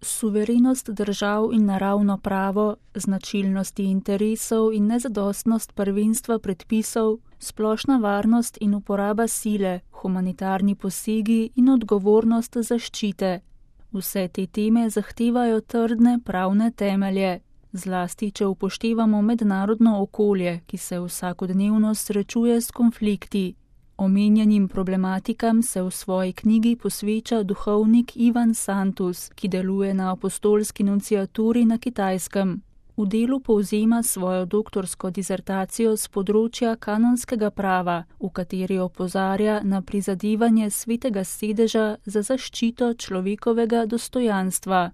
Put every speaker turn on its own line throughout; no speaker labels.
Suverenost držav in naravno pravo, značilnosti interesov in nezadostnost prvenstva predpisov, splošna varnost in uporaba sile, humanitarni posegi in odgovornost zaščite. Vse te teme zahtevajo trdne pravne temelje, zlasti če upoštevamo mednarodno okolje, ki se vsakodnevno srečuje s konflikti. Omenjenim problematikam se v svoji knjigi posveča duhovnik Ivan Santus, ki deluje na apostolski nunciaturi na Kitajskem. V delu povzema svojo doktorsko disertacijo z področja kanonskega prava, v kateri opozarja na prizadevanje Svetega sedeža za zaščito človekovega dostojanstva.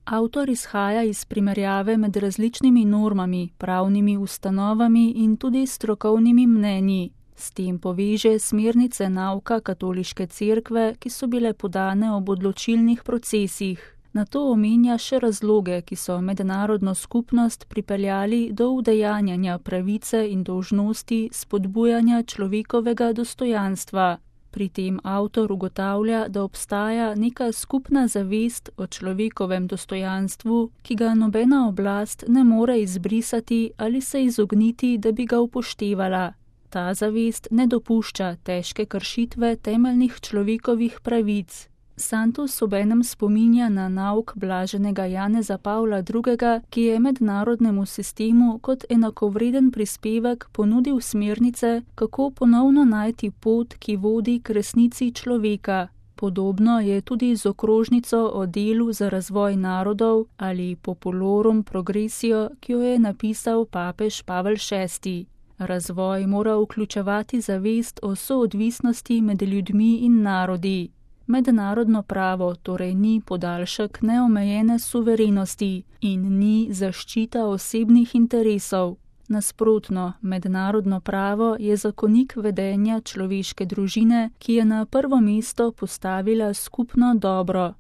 Avtor izhaja iz primerjave med različnimi normami, pravnimi ustanovami in tudi strokovnimi mnenji. S tem poveže smernice nauka katoliške cerkve, ki so bile podane ob odločilnih procesih. Nato omenja še razloge, ki so mednarodno skupnost pripeljali do udejanjanja pravice in dolžnosti spodbujanja človekovega dostojanstva. Pri tem avtor ugotavlja, da obstaja neka skupna zavest o človekovem dostojanstvu, ki ga nobena oblast ne more izbrisati ali se izogniti, da bi ga upoštevala. Ta zavest ne dopušča težke kršitve temeljnih človekovih pravic. Santus obenem spominja na nauk blaženega Janeza Pavla II., ki je mednarodnemu sistemu kot enakovreden prispevek ponudil smernice, kako ponovno najti pot, ki vodi k resnici človeka. Podobno je tudi z okrožnico o delu za razvoj narodov ali Populorum Progressio, ki jo je napisal papež Pavel VI. Razvoj mora vključevati zavest o soodvisnosti med ljudmi in narodi. Mednarodno pravo torej ni podaljšek neomejene suverenosti in ni zaščita osebnih interesov. Nasprotno, mednarodno pravo je zakonik vedenja človeške družine, ki je na prvo mesto postavila skupno dobro.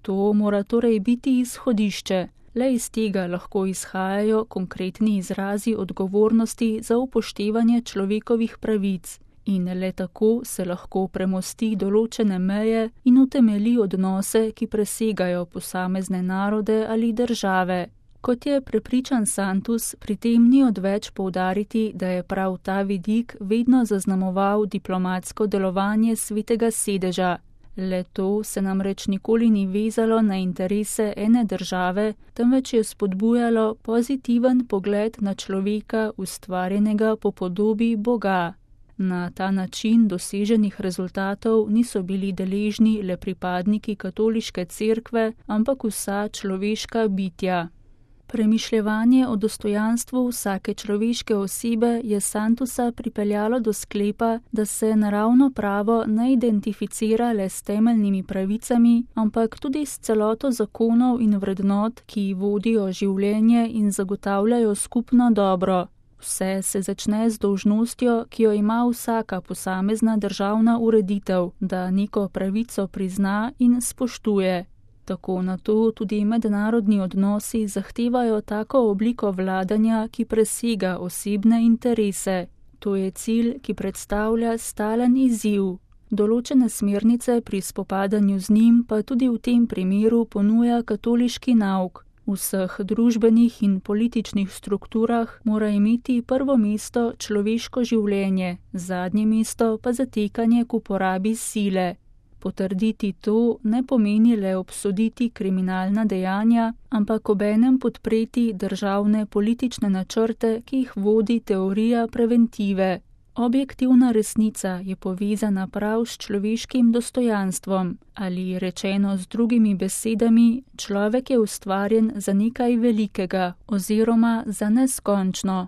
To mora torej biti izhodišče. Le iz tega lahko izhajajo konkretni izrazi odgovornosti za upoštevanje človekovih pravic in le tako se lahko premosti določene meje in utemeli odnose, ki presegajo posamezne narode ali države. Kot je prepričan Santus, pri tem ni odveč poudariti, da je prav ta vidik vedno zaznamoval diplomatsko delovanje Svetega sedeža. Le to se namreč nikoli ni vezalo na interese ene države, temveč je spodbujalo pozitiven pogled na človeka, ustvarjenega po podobi Boga. Na ta način doseženih rezultatov niso bili deležni le pripadniki katoliške cerkve, ampak vsa človeška bitja. Premišljevanje o dostojanstvu vsake človeške osebe je Santusa pripeljalo do sklepa, da se naravno pravo ne identificira le s temeljnimi pravicami, ampak tudi s celoto zakonov in vrednot, ki vodijo življenje in zagotavljajo skupno dobro. Vse se začne z dolžnostjo, ki jo ima vsaka posamezna državna ureditev, da neko pravico prizna in spoštuje. Tako na to tudi mednarodni odnosi zahtevajo tako obliko vladanja, ki presega osebne interese. To je cilj, ki predstavlja stalen izziv. Določene smernice pri spopadanju z njim pa tudi v tem primeru ponuja katoliški nauk. V vseh družbenih in političnih strukturah mora imeti prvo mesto človeško življenje, zadnje mesto pa zatekanje k uporabi sile. Potrditi to ne pomeni le obsoditi kriminalna dejanja, ampak obenem podpreti državne politične načrte, ki jih vodi teorija preventive. Objektivna resnica je povezana prav s človeškim dostojanstvom, ali rečeno z drugimi besedami, človek je ustvarjen za nekaj velikega oziroma za neskončno.